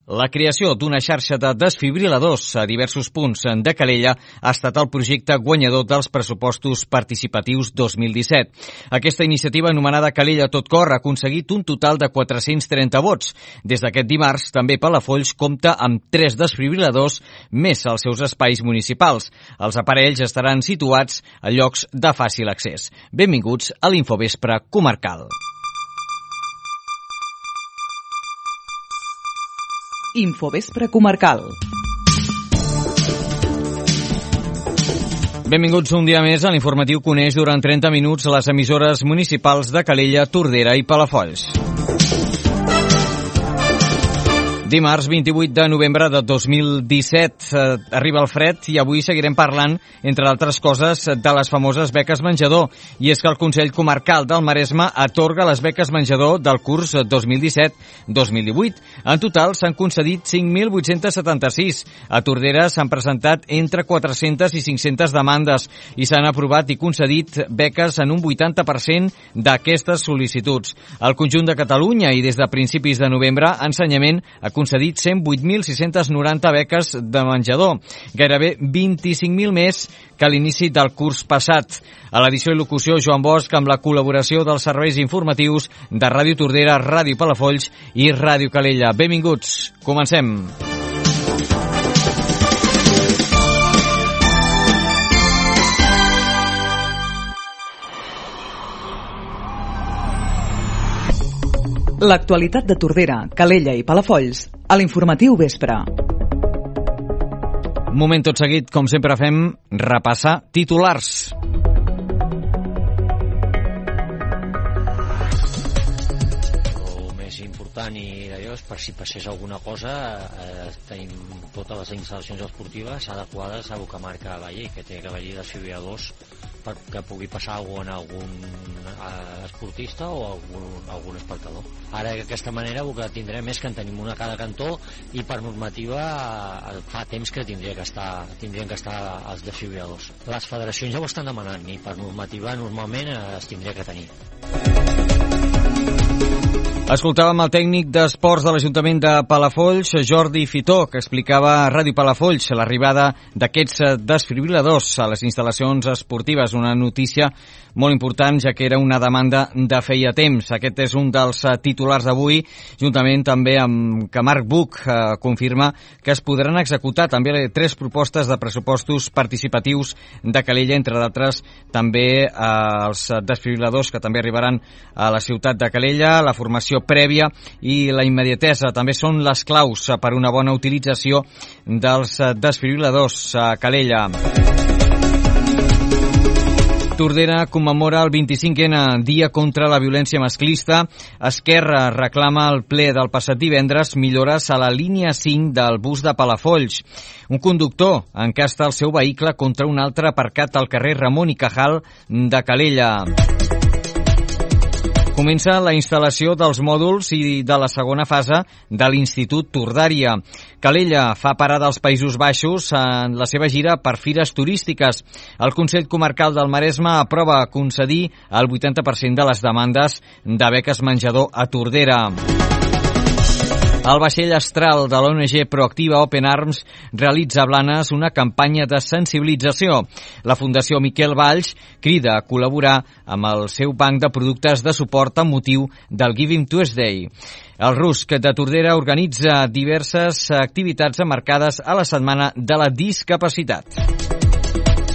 La creació d'una xarxa de desfibriladors a diversos punts de Calella ha estat el projecte guanyador dels pressupostos participatius 2017. Aquesta iniciativa, anomenada Calella Tot Cor, ha aconseguit un total de 430 vots. Des d'aquest dimarts, també Palafolls compta amb 3 desfibriladors més als seus espais municipals. Els aparells estaran situats a llocs de fàcil accés. Benvinguts a l'Infovespre Comarcal. Infovespre Comarcal. Benvinguts un dia més a l'informatiu que uneix durant 30 minuts les emissores municipals de Calella, Tordera i Palafolls. Dimarts 28 de novembre de 2017 arriba el fred i avui seguirem parlant, entre altres coses, de les famoses beques menjador. I és que el Consell Comarcal del Maresme atorga les beques menjador del curs 2017-2018. En total s'han concedit 5.876. A Tordera s'han presentat entre 400 i 500 demandes i s'han aprovat i concedit beques en un 80% d'aquestes sol·licituds. Al conjunt de Catalunya i des de principis de novembre, Ensenyament ha concedit 108.690 beques de menjador, gairebé 25.000 més que a l'inici del curs passat. A l'edició i locució, Joan Bosch, amb la col·laboració dels serveis informatius de Ràdio Tordera, Ràdio Palafolls i Ràdio Calella. Benvinguts, comencem. L'actualitat de Tordera, Calella i Palafolls a l'informatiu vespre. Moment tot seguit, com sempre fem, repassar titulars. El més important i d'allò és per si passés alguna cosa, tenim totes les instal·lacions esportives adequades a el que marca la llei, que té que haver-hi desfibriladors perquè pugui passar alguna cosa a algun esportista o algun espectador. Ara d'aquesta manera el que tindrem és que en tenim una a cada cantó i per normativa fa temps que tindrien que estar els desfibriladors. Les federacions ja ho estan demanant i per normativa normalment es tindria que tenir. Escoltàvem el tècnic d'esports de l'Ajuntament de Palafolls, Jordi Fitó, que explicava a Ràdio Palafolls l'arribada d'aquests desfibriladors a les instal·lacions esportives. Una notícia molt important, ja que era una demanda de feia temps. Aquest és un dels titulars d'avui, juntament també amb que Marc Buch confirma que es podran executar també 3 propostes de pressupostos participatius de Calella, entre d'altres també els desfibriladors que també arribaran a la ciutat de Calella, la formació prèvia i la immediatesa també són les claus per una bona utilització dels desfibriladors a Calella. Tordera commemora el 25è Dia contra la Violència Masclista. Esquerra reclama al ple del passat divendres millores a la línia 5 del bus de Palafolls. Un conductor encasta el seu vehicle contra un altre aparcat al carrer Ramon i Cajal de Calella. Comença la instal·lació dels mòduls i de la segona fase de l'Institut Tordària. Calella fa parada als Països Baixos en la seva gira per fires turístiques. El Consell Comarcal del Maresme aprova concedir el 80% de les demandes de beques menjador a Tordera. El vaixell astral de l'ONG Proactiva Open Arms realitza a Blanes una campanya de sensibilització. La Fundació Miquel Valls crida a col·laborar amb el seu banc de productes de suport amb motiu del Giving Tuesday. El RUSC de Tordera organitza diverses activitats emmarcades a la Setmana de la Discapacitat.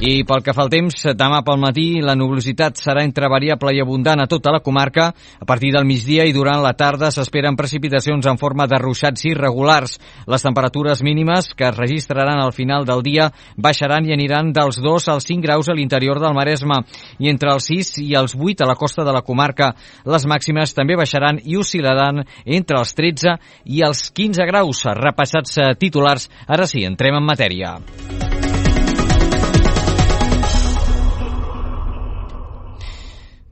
I pel que fa al temps, demà pel matí la nuvolositat serà entre variable i abundant a tota la comarca. A partir del migdia i durant la tarda s'esperen precipitacions en forma de ruixats irregulars. Les temperatures mínimes que es registraran al final del dia baixaran i aniran dels 2 als 5 graus a l'interior del Maresme i entre els 6 i els 8 a la costa de la comarca. Les màximes també baixaran i oscil·laran entre els 13 i els 15 graus. Repassats titulars, ara sí, entrem en matèria.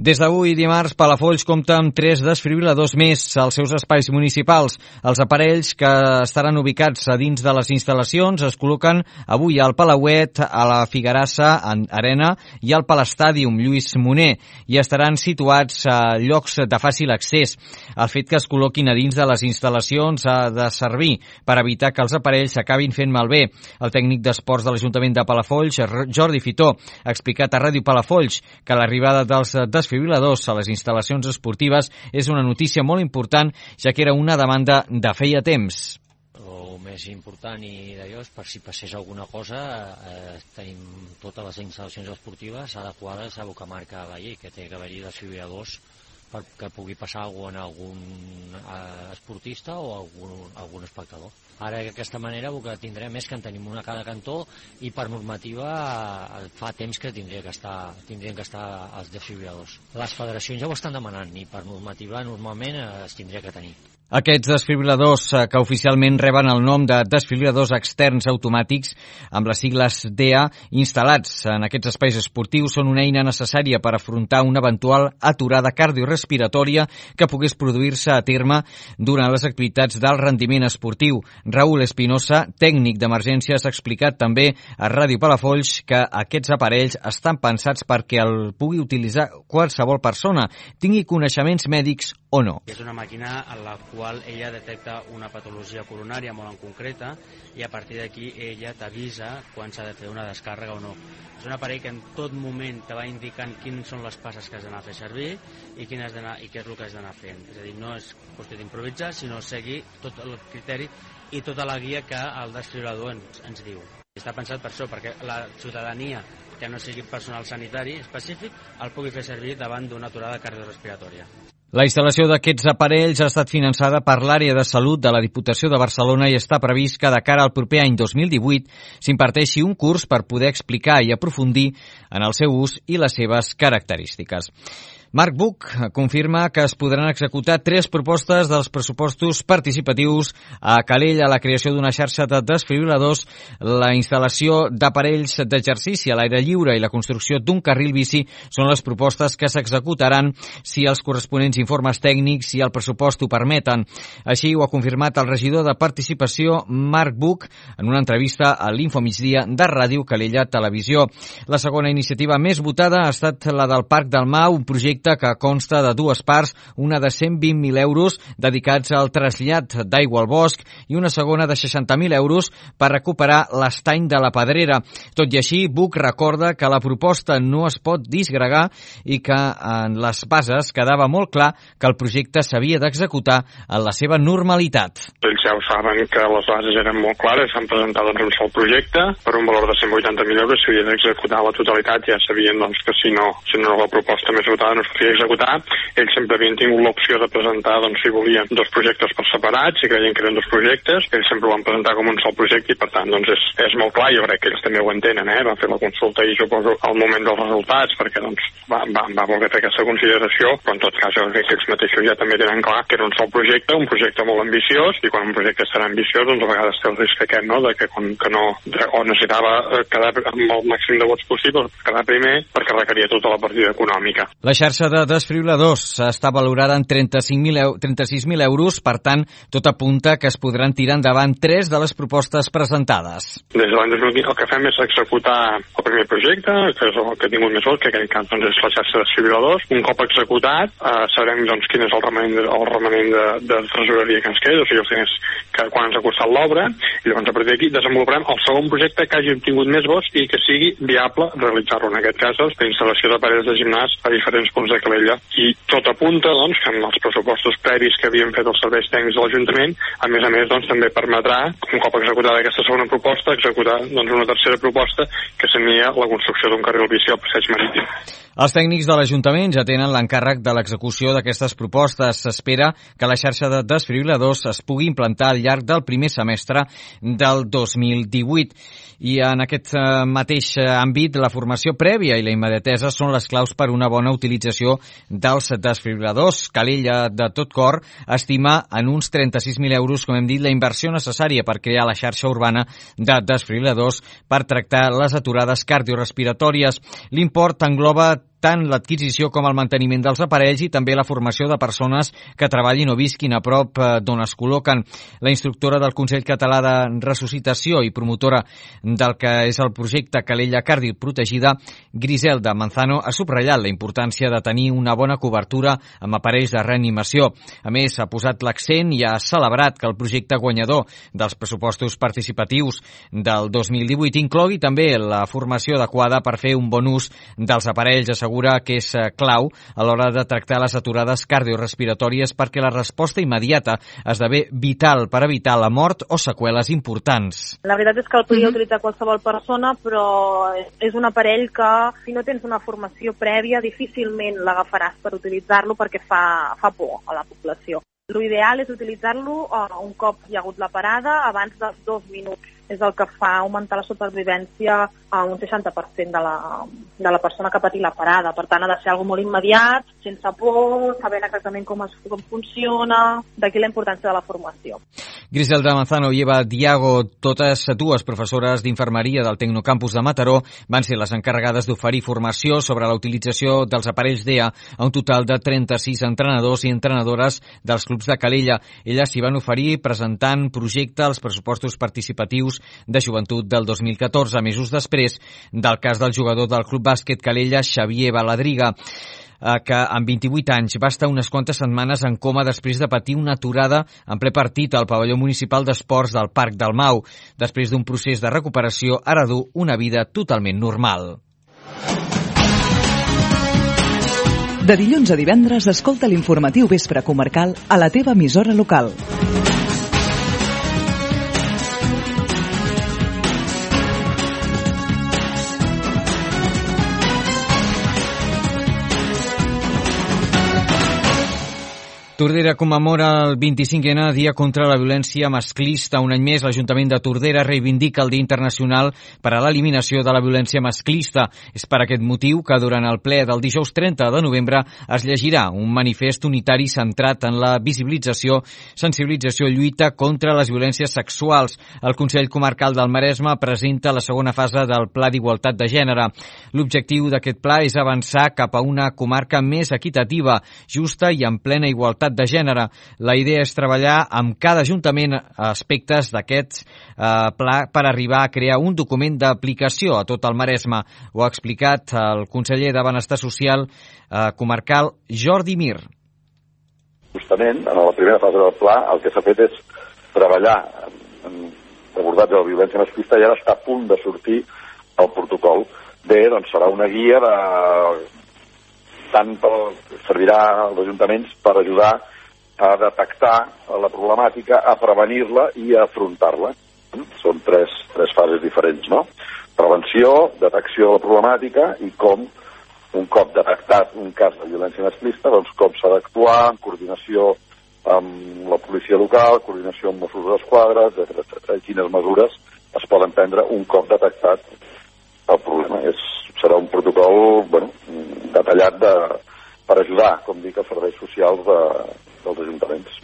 Des d'avui dimarts, Palafolls compta amb 3 desfibril·ladors més als seus espais municipals. Els aparells que estaran ubicats a dins de les instal·lacions es col·loquen avui al Palauet, a la Figuerassa Arena i al Palestàdium Lluís Moner i estaran situats a llocs de fàcil accés. El fet que es col·loquin a dins de les instal·lacions ha de servir per evitar que els aparells s'acabin fent malbé. El tècnic d'esports de l'Ajuntament de Palafolls, Jordi Fitó, ha explicat a Ràdio Palafolls que l'arribada dels desfibril·ladors a les instal·lacions esportives és una notícia molt important, ja que era una demanda de feia temps. El més important i d'allò és per si passés alguna cosa, tenim totes les instal·lacions esportives adequades a el que marca la llei, que té que haver-hi desfibril·ladors perquè pugui passar alguna en algun esportista o algun espectador. Ara d'aquesta manera el que tindrem és que en tenim una a cada cantó i per normativa fa temps que tindrien que estar els desfibril·ladors. Les federacions ja ho estan demanant i per normativa normalment es tindria que tenir. Aquests desfibril·ladors, que oficialment reben el nom de desfibril·ladors externs automàtics, amb les sigles DEA, instal·lats en aquests espais esportius, són una eina necessària per afrontar una eventual aturada cardiorespiratòria que pogués produir-se a terme durant les activitats d'alt rendiment esportiu. Raúl Espinosa, tècnic d'emergències, ha explicat també a Ràdio Palafolls que aquests aparells estan pensats perquè el pugui utilitzar qualsevol persona, tingui coneixements mèdics o no. És una màquina en la qual ella detecta una patologia coronària molt en concreta i a partir d'aquí ella t'avisa quan s'ha de fer una descàrrega o no. És un aparell que en tot moment te va indicant quines són les passes que has d'anar a fer servir i què és el que has d'anar fent. És a dir, no és qüestió d'improvisar, sinó seguir tot el criteri i tota la guia que el desfibril·lador ens diu. Està pensat per això, perquè la ciutadania que no sigui personal sanitari específic el pugui fer servir davant d'una aturada cardiorespiratòria. La instal·lació d'aquests aparells ha estat finançada per l'àrea de salut de la Diputació de Barcelona i està previst que de cara al proper any 2018 s'imparteixi un curs per poder explicar i aprofundir en el seu ús i les seves característiques. Marc Buch confirma que es podran executar 3 propostes dels pressupostos participatius a Calella, la creació d'una xarxa de desfibril·ladors, la instal·lació d'aparells d'exercici a l'aire lliure i la construcció d'un carril bici són les propostes que s'executaran si els corresponents informes tècnics i el pressupost ho permeten. Així ho ha confirmat el regidor de Participació, Marc Buch, en una entrevista a l'Infomigdia de Ràdio Calella Televisió. La segona iniciativa més votada ha estat la del Parc del Mar, un projecte que consta de 2 parts, una de 120.000 euros dedicats al trasllat d'aigua al bosc i una segona de 60.000 euros per recuperar l'estany de la Pedrera. Tot i així, Buch recorda que la proposta no es pot disgregar i que en les bases quedava molt clar que el projecte s'havia d'executar en la seva normalitat. Ells ja ho saben que les bases eren molt clares, s'han presentat un sol projecte per un valor de 180.000 euros, s'havia d'executar la totalitat, ja sabien doncs, que si no la proposta més votada no s'havia d'executar. Ells sempre havien tingut l'opció de presentar, doncs, si volien, 2 projectes per separat, si creien que eren 2 projectes, ells sempre ho van presentar com un sol projecte i per tant doncs és molt clar, jo crec que ells també ho entenen, van fer la consulta i suposo al moment dels resultats perquè doncs va voler fer aquesta consideració, però en tot cas jo crec que ells mateixos ja també tenen clar que era un sol projecte, un projecte molt ambiciós i quan un projecte serà ambiciós doncs a vegades té el risc aquest, no?, de que o necessitava quedar amb el màxim de vots possible, quedar primer perquè requeria tota la partida econòmica. La xarxa de desfibril·ladors està valorada en 36.000 euros, per tant, tot apunta que es podran tirar endavant 3 de les propostes presentades. Des de l'any 2015 el que fem és executar el primer projecte, que és el que ha tingut més vots, que en aquest cas doncs, és la xarxa de desfibril·ladors. Un cop executat, sabrem doncs, quin és el remanent de tresoreria que ens queda, o sigui, els diners que quan ens ha costat l'obra, i llavors a partir d'aquí desenvoluparem el segon projecte que hagi obtingut més vots i que sigui viable realitzar-lo. En aquest cas, la instal·lació d'aparells de gimnàs a diferents punts de Calella. I tot apunta doncs, que en els pressupostos previs que havien fet els serveis tècnics de l'Ajuntament, a més, doncs, també permetrà, un cop executada aquesta segona proposta, executar doncs, una tercera proposta que seria la construcció d'un carril bici al passeig marítim. Els tècnics de l'Ajuntament ja tenen l'encàrrec de l'execució d'aquestes propostes. S'espera que la xarxa de desfibril·ladors es pugui implantar al llarg del primer semestre del 2018. I en aquest mateix àmbit, la formació prèvia i la immediatesa són les claus per una bona utilització dels desfibril·ladors. Calella, de tot cor, estima en uns 36.000 euros, com hem dit, la inversió necessària per crear la xarxa urbana de desfibril·ladors per tractar les aturades cardiorespiratòries. L'import engloba tant l'adquisició com el manteniment dels aparells i també la formació de persones que treballin o visquin a prop d'on es col·loquen. La instructora del Consell Català de Ressuscitació i promotora del que és el projecte Calella Cardioprotegida, Griselda Manzano, ha subratllat la importància de tenir una bona cobertura amb aparells de reanimació. A més, ha posat l'accent i ha celebrat que el projecte guanyador dels pressupostos participatius del 2018 inclogui també la formació adequada per fer un bon ús dels aparells. Assegura que és clau a l'hora de tractar les aturades cardiorespiratòries perquè la resposta immediata esdevé vital per evitar la mort o seqüeles importants. La veritat és que el podria utilitzar qualsevol persona, però és un aparell que si no tens una formació prèvia difícilment l'agafaràs per utilitzar-lo perquè fa por a la població. L'ideal és utilitzar-lo un cop hi ha hagut la parada abans dels 2 minuts. És el que fa augmentar la supervivència a un 60% de la persona que ha patit la parada. Per tant, ha de ser algo molt immediat, sense por, sabent exactament com funciona, d'aquí la importància de la formació. Griselda Manzano i Eva Diago, totes dues professores d'infermeria del Tecnocampus de Mataró, van ser les encarregades d'oferir formació sobre la utilització dels aparells DEA a un total de 36 entrenadors i entrenadores dels clubs de Calella. Elles s'hi van oferir presentant projecte als pressupostos participatius de joventut del 2014, mesos després del cas del jugador del Club Bàsquet Calella, Xavier Baladriga, que amb 28 anys va estar unes quantes setmanes en coma després de patir una aturada en ple partit al pavelló municipal d'esports del Parc del Mau. Després d'un procés de recuperació, ara du una vida totalment normal. De dilluns a divendres, escolta l'informatiu Vespre Comarcal a la teva emissora local. Tordera commemora el 25è Dia contra la Violència Masclista. Un any més, l'Ajuntament de Tordera reivindica el Dia Internacional per a l'Eliminació de la Violència Masclista. És per aquest motiu que durant el ple del dijous 30 de novembre es llegirà un manifest unitari centrat en la visibilització, sensibilització i lluita contra les violències sexuals. El Consell Comarcal del Maresme presenta la segona fase del Pla d'Igualtat de Gènere. L'objectiu d'aquest pla és avançar cap a una comarca més equitativa, justa i en plena igualtat de gènere. La idea és treballar amb cada ajuntament aspectes d'aquest pla per arribar a crear un document d'aplicació a tot el Maresme. Ho ha explicat el conseller de Benestar Social comarcal, Jordi Mir. Justament, en la primera fase del pla, el que s'ha fet és treballar en l'abordatge de la violència masclista i ara està a punt de sortir el protocol. Bé, doncs serà una guia servirà als ajuntaments per ajudar a detectar la problemàtica, a prevenir-la i a afrontar-la. Són tres fases diferents, no? Prevenció, detecció de la problemàtica i com, un cop detectat un cas de violència masclista, doncs com s'ha d'actuar en coordinació amb la policia local, coordinació amb Mossos d'Esquadra, etc. Quines mesures es poden prendre un cop detectat el problema. Serà un protocol detallat per ajudar, com dic, els serveis socials dels ajuntaments.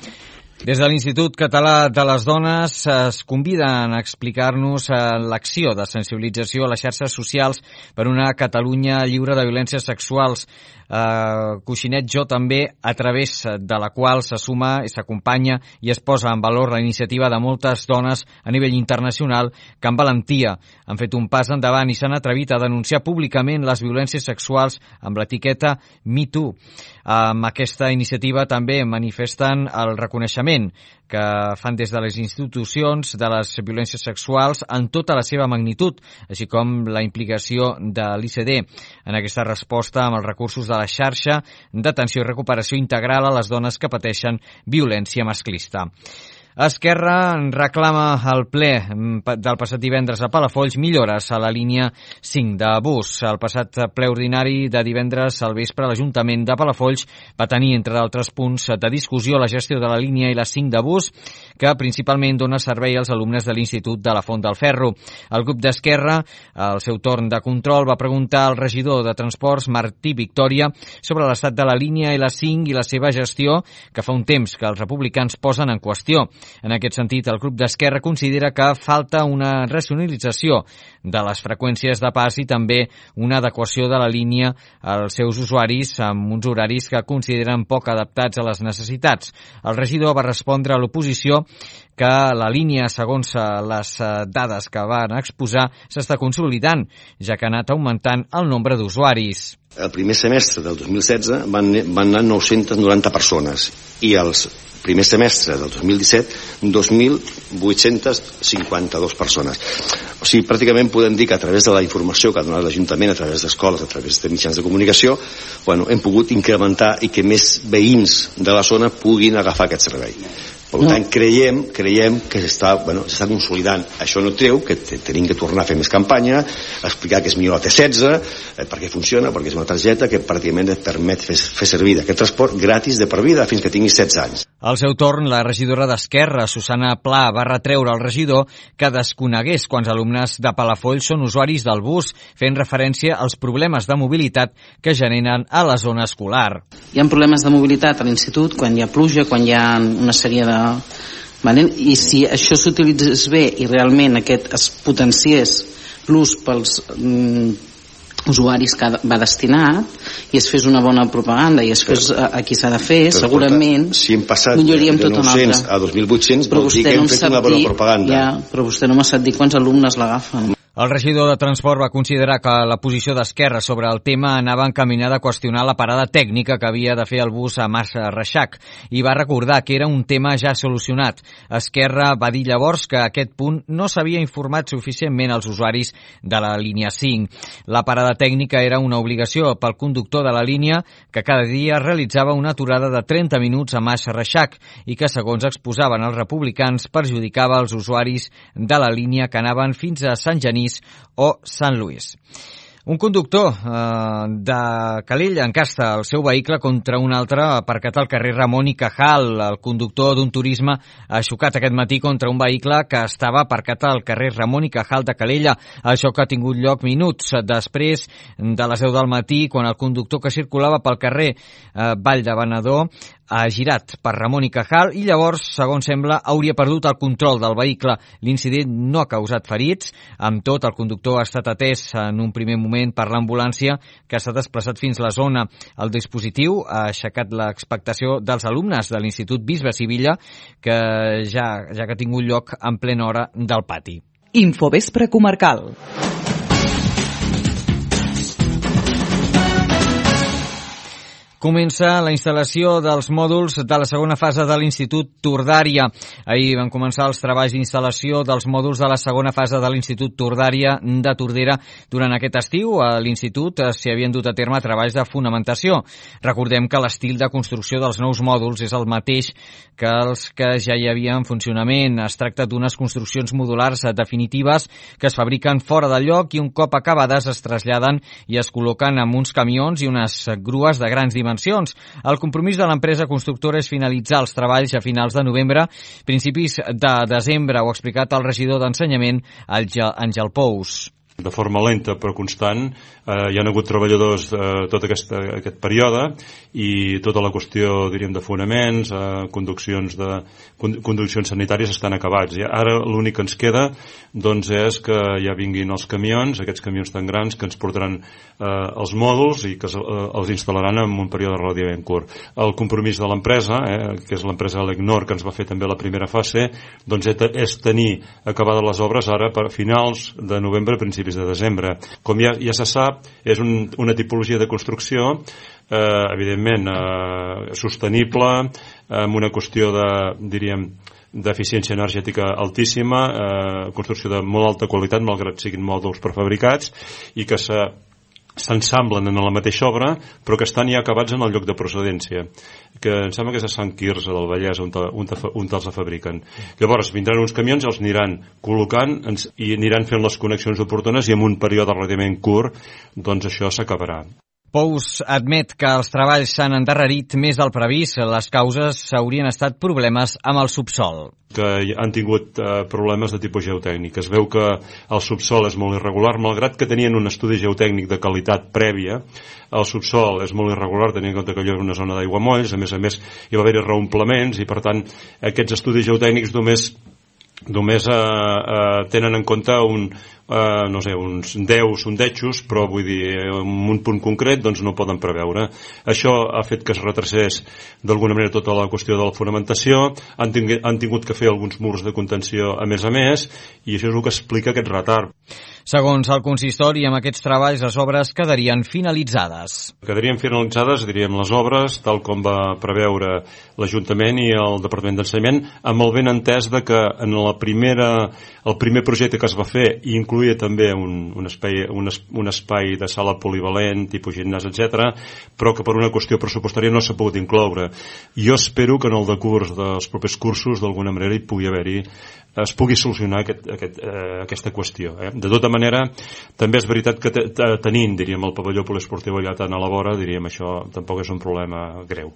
Des de l'Institut Català de les Dones es conviden a explicar-nos l'acció de sensibilització a les xarxes socials per una Catalunya lliure de violències sexuals. Coixinet Jo també, a través de la qual se suma i s'acompanya i es posa en valor la iniciativa de moltes dones a nivell internacional que amb valentia han fet un pas endavant i s'han atrevit a denunciar públicament les violències sexuals amb l'etiqueta MeToo. Amb aquesta iniciativa també manifesten el reconeixement que fan des de les institucions de les violències sexuals en tota la seva magnitud, així com la implicació de l'ICD en aquesta resposta amb els recursos de la xarxa d'atenció i recuperació integral a les dones que pateixen violència masclista. Esquerra reclama al ple del passat divendres a Palafolls millores a la línia 5 de bus. El passat ple ordinari de divendres al vespre l'Ajuntament de Palafolls va tenir, entre d'altres punts de discussió, la gestió de la línia i la 5 de bus, que principalment dona servei als alumnes de l'Institut de la Font del Ferro. El grup d'Esquerra, al seu torn de control, va preguntar al regidor de Transports, Martí Victòria, sobre l'estat de la línia i la 5 i la seva gestió, que fa un temps que els republicans posen en qüestió. En aquest sentit, el grup d'Esquerra considera que falta una racionalització de les freqüències de pas i també una adequació de la línia als seus usuaris amb uns horaris que consideren poc adaptats a les necessitats. El regidor va respondre a l'oposició que la línia, segons les dades que van exposar, s'està consolidant, ja que ha anat augmentant el nombre d'usuaris. El primer semestre del 2016 van anar 990 persones i els primer semestre del 2017 2.852 persones. O sigui, pràcticament podem dir que a través de la informació que ha donat l'Ajuntament, a través d'escoles, a través de mitjans de comunicació, hem pogut incrementar i que més veïns de la zona puguin agafar aquest servei. Per tant, creiem que s'està consolidant. Això no treu que tenim que tornar a fer més campanya, explicar que és millor la T16, perquè funciona, perquè és una targeta que pràcticament et permet fer servir aquest transport gratis de per vida fins que tinguis 16 anys. Al seu torn, la regidora d'Esquerra, Susana Pla, va retreure al regidor que desconegués quants alumnes de Palafolls són usuaris del bus, fent referència als problemes de mobilitat que generen a la zona escolar. Hi ha problemes de mobilitat a l'institut quan hi ha pluja, quan hi ha una sèrie de... I si això s'utilitzés bé i realment aquest es potenciés l'ús pels usuaris que va destinat i es fes una bona propaganda i es fes a qui s'ha de fer, segurament si hem passat milloraríem de tot 900 a 2.800 vol dir que hem fet una bona propaganda. Però vostè no m'ha sap dir quants alumnes l'agafen. El regidor de Transport va considerar que la posició d'Esquerra sobre el tema anava encaminada a qüestionar la parada tècnica que havia de fer el bus a Mas Reixac i va recordar que era un tema ja solucionat. Esquerra va dir llavors que a aquest punt no s'havia informat suficientment als usuaris de la línia 5. La parada tècnica era una obligació pel conductor de la línia que cada dia realitzava una aturada de 30 minuts a Mas Reixac i que, segons exposaven els republicans, perjudicava els usuaris de la línia que anaven fins a Sant Genís o Sant Lluís. Un conductor de Calella encasta el seu vehicle contra un altre aparcat al carrer Ramon i Cajal. El conductor d'un turisme ha xocat aquest matí contra un vehicle que estava aparcat al carrer Ramon i Cajal de Calella. Això que ha tingut lloc minuts després de les 10 del matí, quan el conductor que circulava pel carrer Vall de Venedor ha girat per Ramon i Cajal i llavors, segons sembla, hauria perdut el control del vehicle. L'incident no ha causat ferits. Amb tot, el conductor ha estat atès en un primer moment per l'ambulància que s'ha desplaçat fins a la zona. El dispositiu ha aixecat l'expectació dels alumnes de l'Institut Bisbe Sivilla que ja que ha tingut lloc en plena hora del pati. Infovespre comarcal. Comença la instal·lació dels mòduls de la segona fase de l'Institut Tordària. Ahir van començar els treballs d'instal·lació dels mòduls de la segona fase de l'Institut Tordària de Tordera. Durant aquest estiu, a l'Institut s'hi havien dut a terme treballs de fonamentació. Recordem que l'estil de construcció dels nous mòduls és el mateix que els que ja hi havia en funcionament. Es tracta d'unes construccions modulars definitives que es fabriquen fora del lloc i un cop acabades es traslladen i es col·loquen amb uns camions i unes grues de grans dimensions. El compromís de l'empresa constructora és finalitzar els treballs a finals de novembre, principis de desembre, ho ha explicat el regidor d'Ensenyament, Àngel Pous. De forma lenta però constant, hi ha hagut treballadors tot aquest període i tota la qüestió, diríem, de fonaments, conduccions sanitàries estan acabats. I ara l'únic que ens queda doncs, és que ja vinguin els camions, aquests camions tan grans que ens portaran els mòduls i que els instal·laran en un període relativament curt. El compromís de l'empresa, que és l'empresa Lecnor, que ens va fer també la primera fase, doncs és tenir acabades les obres ara per finals de novembre, principis de desembre. Com ja se sap, és una tipologia de construcció evidentment sostenible, amb una qüestió d'eficiència energètica altíssima, construcció de molt alta qualitat, malgrat siguin mòduls prefabricats, i que s'ensamblen en la mateixa obra, però que estan ja acabats en el lloc de procedència, que em sembla que és a Sant Quirze del Vallès on els fabriquen. Llavors vindran uns camions, els aniran col·locant i aniran fent les connexions oportunes i en un període relativament curt doncs això s'acabarà. Pous admet que els treballs s'han endarrerit més del previst. Les causes haurien estat problemes amb el subsol. Que han tingut problemes de tipus geotècnic. Es veu que el subsol és molt irregular, malgrat que tenien un estudi geotècnic de qualitat prèvia. El subsol és molt irregular, tenint en compte que allò és una zona d'aiguamolls, a més hi va haver-hi reomplements i, per tant, aquests estudis geotècnics només tenen en compte uns 10 sondejos, però vull dir, en un punt concret doncs no poden preveure. Això ha fet que es retracés d'alguna manera tota la qüestió de la fonamentació, han tingut que fer alguns murs de contenció a més, i això és el que explica aquest retard. Segons el consistori, amb aquests treballs les obres quedarien finalitzades. Quedarien finalitzades, diríem, les obres, tal com va preveure l'Ajuntament i el Departament d'Ensenyament, amb el ben entès de que en el primer projecte que es va fer incloïa també un espai de sala polivalent, tipus gimnàs, etc., però que per una qüestió pressupostària no s'ha pogut incloure. Jo espero que en el decurs dels propers cursos, d'alguna manera, es pugui solucionar aquesta qüestió. De tota manera, també és veritat que tenint, diríem, el pavelló poliesportiu allà tan a la vora, diríem, això tampoc és un problema greu.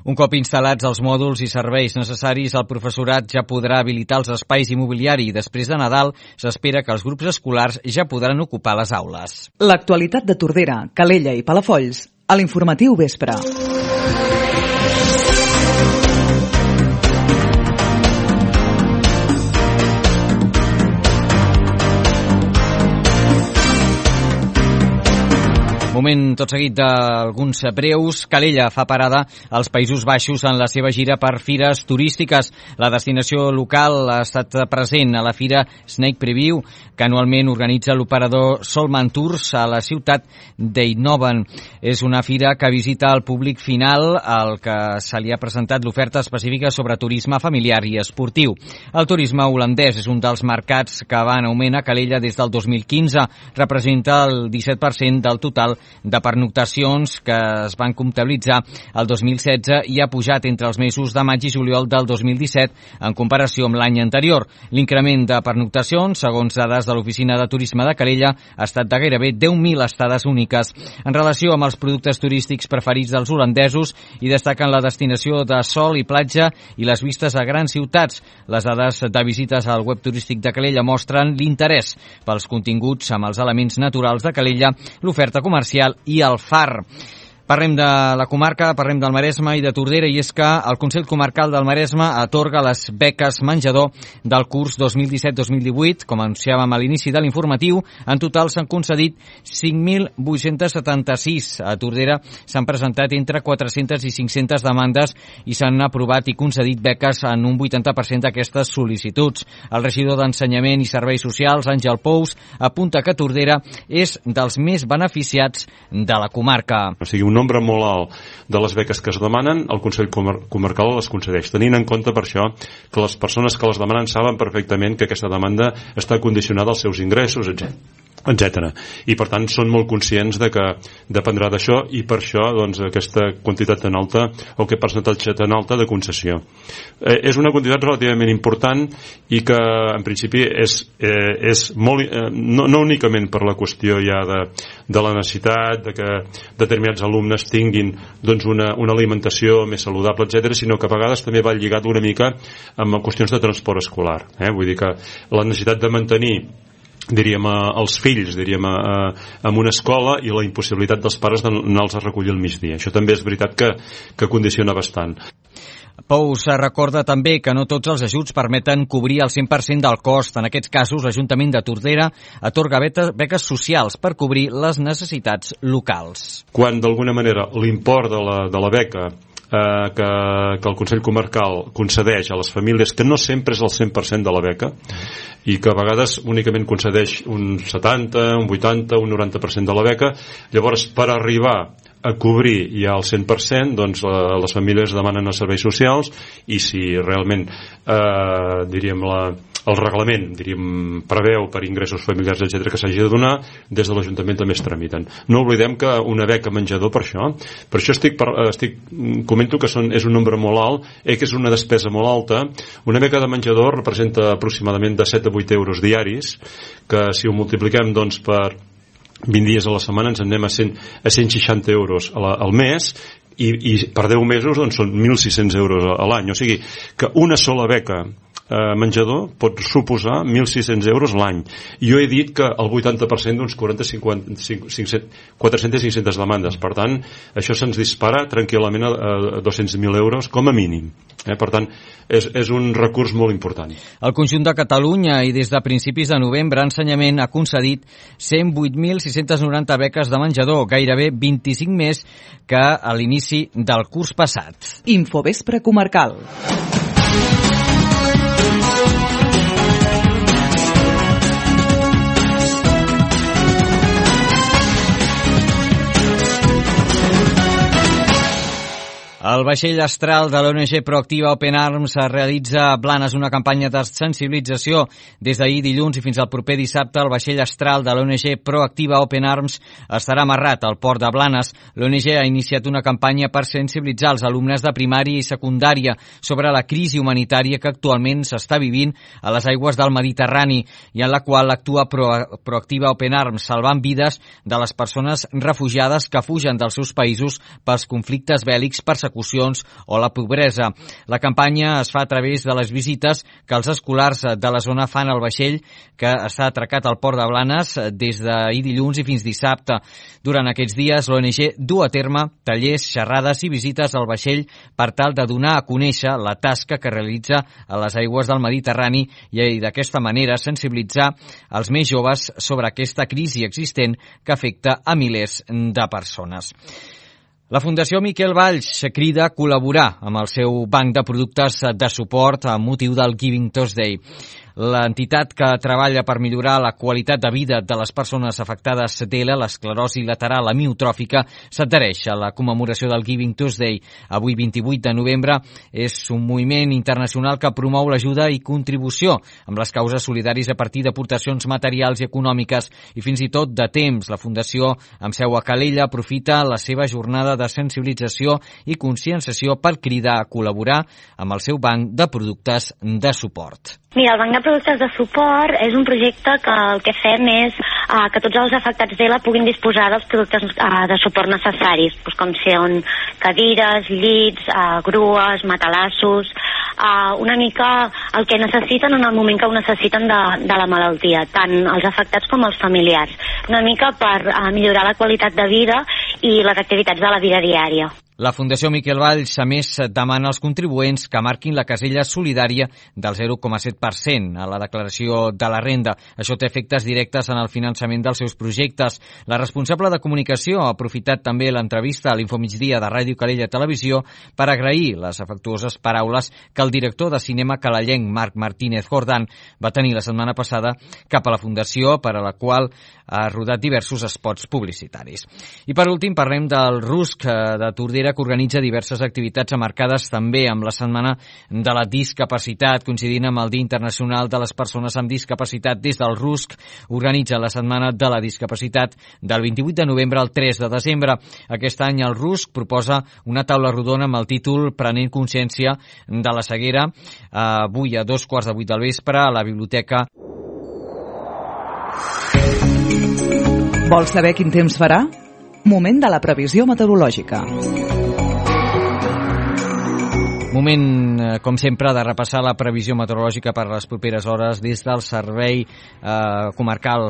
Un cop instal·lats els mòduls i serveis necessaris, el professorat ja podrà habilitar els espais immobiliaris i després de Nadal s'espera que els grups escolars ja podran ocupar les aules. L'actualitat de Tordera, Calella i Palafolls a l'informatiu vespre. Moment tot seguit d'alguns breus. Calella fa parada als Països Baixos en la seva gira per fires turístiques. La destinació local ha estat present a la fira Snake Preview, que anualment organitza l'operador Solman Tours a la ciutat d'Eindhoven. És una fira que visita el públic final, al que se li ha presentat l'oferta específica sobre turisme familiar i esportiu. El turisme holandès és un dels mercats que va en augment a Calella des del 2015. Representa el 17% del total de pernoctacions que es van comptabilitzar el 2016 i ha pujat entre els mesos de maig i juliol del 2017 en comparació amb l'any anterior. L'increment de pernoctacions, segons dades de l'Oficina de Turisme de Calella, ha estat de gairebé 10.000 estades úniques. En relació amb els productes turístics preferits dels holandesos, hi destaquen la destinació de sol i platja i les vistes a grans ciutats. Les dades de visites al web turístic de Calella mostren l'interès pels continguts amb els elements naturals de Calella, l'oferta comercial i el far. Parlem de la comarca, parlem del Maresme i de Tordera, i és que el Consell Comarcal del Maresme atorga les beques menjador del curs 2017-2018. Com anunciàvem a l'inici de l'informatiu, en total s'han concedit 5.876. A Tordera s'han presentat entre 400 i 500 demandes i s'han aprovat i concedit beques en un 80% d'aquestes sol·licituds. El regidor d'Ensenyament i Serveis Socials, Àngel Pous, apunta que Tordera és dels més beneficiats de la comarca. O sigui, un nombre molt alt de les beques que es demanen, el Consell Comarcal les concedeix, tenint en compte per això que les persones que les demanen saben perfectament que aquesta demanda està condicionada als seus ingressos, etc. I per tant són molt conscients de que dependrà d'això, i per això doncs, aquesta quantitat tan alta o aquest percentatge tan alta de concessió. És una quantitat relativament important i que en principi és molt, no únicament per la qüestió ja de la necessitat de que determinats alumnes tinguin doncs, una alimentació més saludable, etc., sinó que a vegades també va lligat una mica amb qüestions de transport escolar. Vull dir que la necessitat de mantenir, diríem, els fills, diríem, en una escola, i la impossibilitat dels pares d'anar-los a recollir al migdia. Això també és veritat que condiciona bastant. Pous recorda també que no tots els ajuts permeten cobrir el 100% del cost. En aquests casos, l'Ajuntament de Tordera atorga beques socials per cobrir les necessitats locals. Quan d'alguna manera l'import de la beca que el Consell Comarcal concedeix a les famílies, que no sempre és el 100% de la beca, i que a vegades únicament concedeix un 70, un 80, un 90% de la beca, llavors per arribar a cobrir ja el 100%, doncs les famílies demanen els serveis socials, i si realment diríem el reglament preveu per ingressos familiars, etc., que s'hagi de donar, des de l'Ajuntament també es tramiten. No oblidem que una beca menjador, per això comento que és un nombre molt alt, que és una despesa molt alta. Una beca de menjador representa aproximadament de 7 a 8 euros diaris, que si ho multipliquem doncs per 20 dies a la setmana, ens anem a 160 euros al mes, i per 10 mesos doncs, són 1.600 euros a l'any. O sigui que una sola beca menjador pot suposar 1.600 euros l'any. Jo he dit que el 80% d'uns 400-500 demandes. Per tant, això se'ns dispara tranquil·lament a 200.000 euros com a mínim. Per tant, és un recurs molt important. El conjunt de Catalunya i des de principis de novembre Ensenyament ha concedit 108.690 beques de menjador, gairebé 25 més que a l'inici del curs passat. Infovespre comarcal. El vaixell astral de l'ONG Proactiva Open Arms realitza a Blanes una campanya de sensibilització. Des d'ahir dilluns i fins al proper dissabte, el vaixell astral de l'ONG Proactiva Open Arms estarà amarrat al port de Blanes. L'ONG ha iniciat una campanya per sensibilitzar els alumnes de primària i secundària sobre la crisi humanitària que actualment s'està vivint a les aigües del Mediterrani i en la qual actua Proactiva Open Arms, salvant vides de les persones refugiades que fugen dels seus països pels conflictes bèl·lics, persecucions o la pobresa. La campanya es fa a través de les visites que els escolars de la zona fan al vaixell que està atracat al port de Blanes des d'ahir dilluns i fins dissabte. Durant aquests dies, l'ONG du a terme tallers, xerrades i visites al vaixell per tal de donar a conèixer la tasca que realitza a les aigües del Mediterrani i d'aquesta manera sensibilitzar els més joves sobre aquesta crisi existent que afecta a milers de persones. La Fundació Miquel Valls crida a col·laborar amb el seu banc de productes de suport amb motiu del Giving Tuesday. L'entitat que treballa per millorar la qualitat de vida de les persones afectades de l'esclerosi lateral amiotròfica s'adhereix a la commemoració del Giving Tuesday. Avui, 28 de novembre, és un moviment internacional que promou l'ajuda i contribució amb les causes solidàries a partir d'aportacions materials i econòmiques i fins i tot de temps. La Fundació, amb seu a Calella, aprofita la seva jornada de sensibilització i conscienciació per cridar a col·laborar amb el seu banc de productes de suport. Mira, el Banc de Productes de Suport és un projecte que el que fem és que tots els afectats d'ELA puguin disposar dels productes de suport necessaris, com són cadires, llits, grues, matalassos, una mica el que necessiten en el moment que ho necessiten de la malaltia, tant els afectats com els familiars, una mica per millorar la qualitat de vida i les activitats de la vida diària. La Fundació Miquel Valls, a més, demana als contribuents que marquin la casella solidària del 0,7% a la declaració de la renda. Això té efectes directes en el finançament dels seus projectes. La responsable de comunicació ha aprofitat també l'entrevista a l'Infomigdia de Ràdio Calella Televisió per agrair les afectuoses paraules que el director de cinema calellenc Marc Martínez Jordán va tenir la setmana passada cap a la Fundació, per a la qual ha rodat diversos spots publicitaris. I per últim parlem del RUSC de Tordera, que organitza diverses activitats marcades també amb la Setmana de la Discapacitat, coincidint amb el Dia Internacional de les Persones amb Discapacitat. Des del RUSC organitza la Setmana de la Discapacitat del 28 de novembre al 3 de desembre. Aquest any el RUSC proposa una taula rodona amb el títol Prenent consciència de la ceguera, avui a 7:15 del vespre a la biblioteca. Vols saber quin temps farà? Moment de la previsió meteorològica. Moment, com sempre, de repassar la previsió meteorològica per a les properes hores des del Servei Comarcal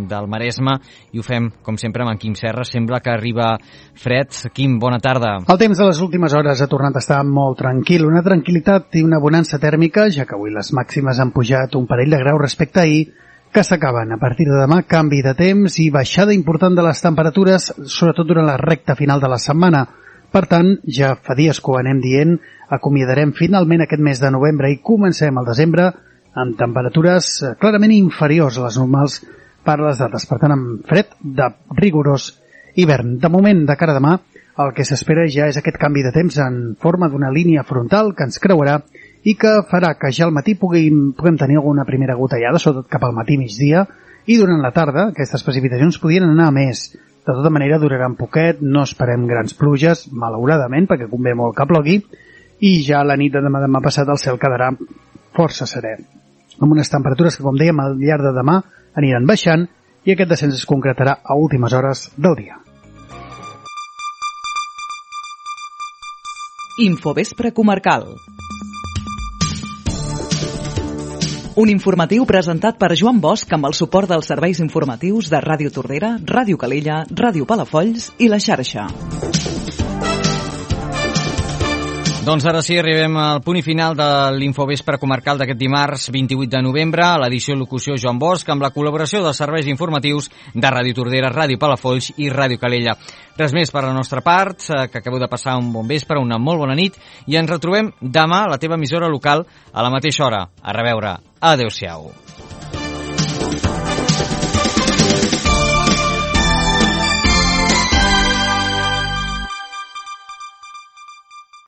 del Maresme, i ho fem, com sempre, amb en Quim Serra. Sembla que arriba fred. Quim, bona tarda. El temps de les últimes hores ha tornat a estar molt tranquil, una tranquil·litat i una bonança tèrmica, ja que avui les màximes han pujat un parell de graus respecte a ahir, que s'acaben. A partir de demà, canvi de temps i baixada important de les temperatures, sobretot durant la recta final de la setmana. Per tant, ja fa dies que ho anem dient, acomiadarem finalment aquest mes de novembre i comencem el desembre amb temperatures clarament inferiors a les normals per les dates. Per tant, amb fred de rigorós hivern. De moment, de cara a demà, el que s'espera ja és aquest canvi de temps en forma d'una línia frontal que ens creuarà i que farà que ja al matí puguem tenir alguna primera gotellada, sobretot cap al matí migdia, i durant la tarda aquestes precipitacions podrien anar a més. De tota manera, duraran poquet, no esperem grans pluges, malauradament, perquè convé molt que plogui, i ja a la nit de demà passat el cel quedarà força serè, amb unes temperatures que, com dèiem, al llarg de demà aniran baixant, i aquest descens es concretarà a últimes hores del dia. Infovespre comarcal. Un informatiu presentat per Joan Bosch amb el suport dels serveis informatius de Ràdio Tordera, Ràdio Calella, Ràdio Palafolls i La Xarxa. Doncs ara sí, arribem al punt i final de l'Infovespre comarcal d'aquest dimarts 28 de novembre, a l'edició i locució Joan Bosch, amb la col·laboració dels serveis informatius de Ràdio Tordera, Ràdio Palafolls i Ràdio Calella. Res més per la nostra part, que acabeu de passar un bon vespre, una molt bona nit, i ens retrobem demà a la teva emissora local a la mateixa hora. A reveure. Adéu-siau.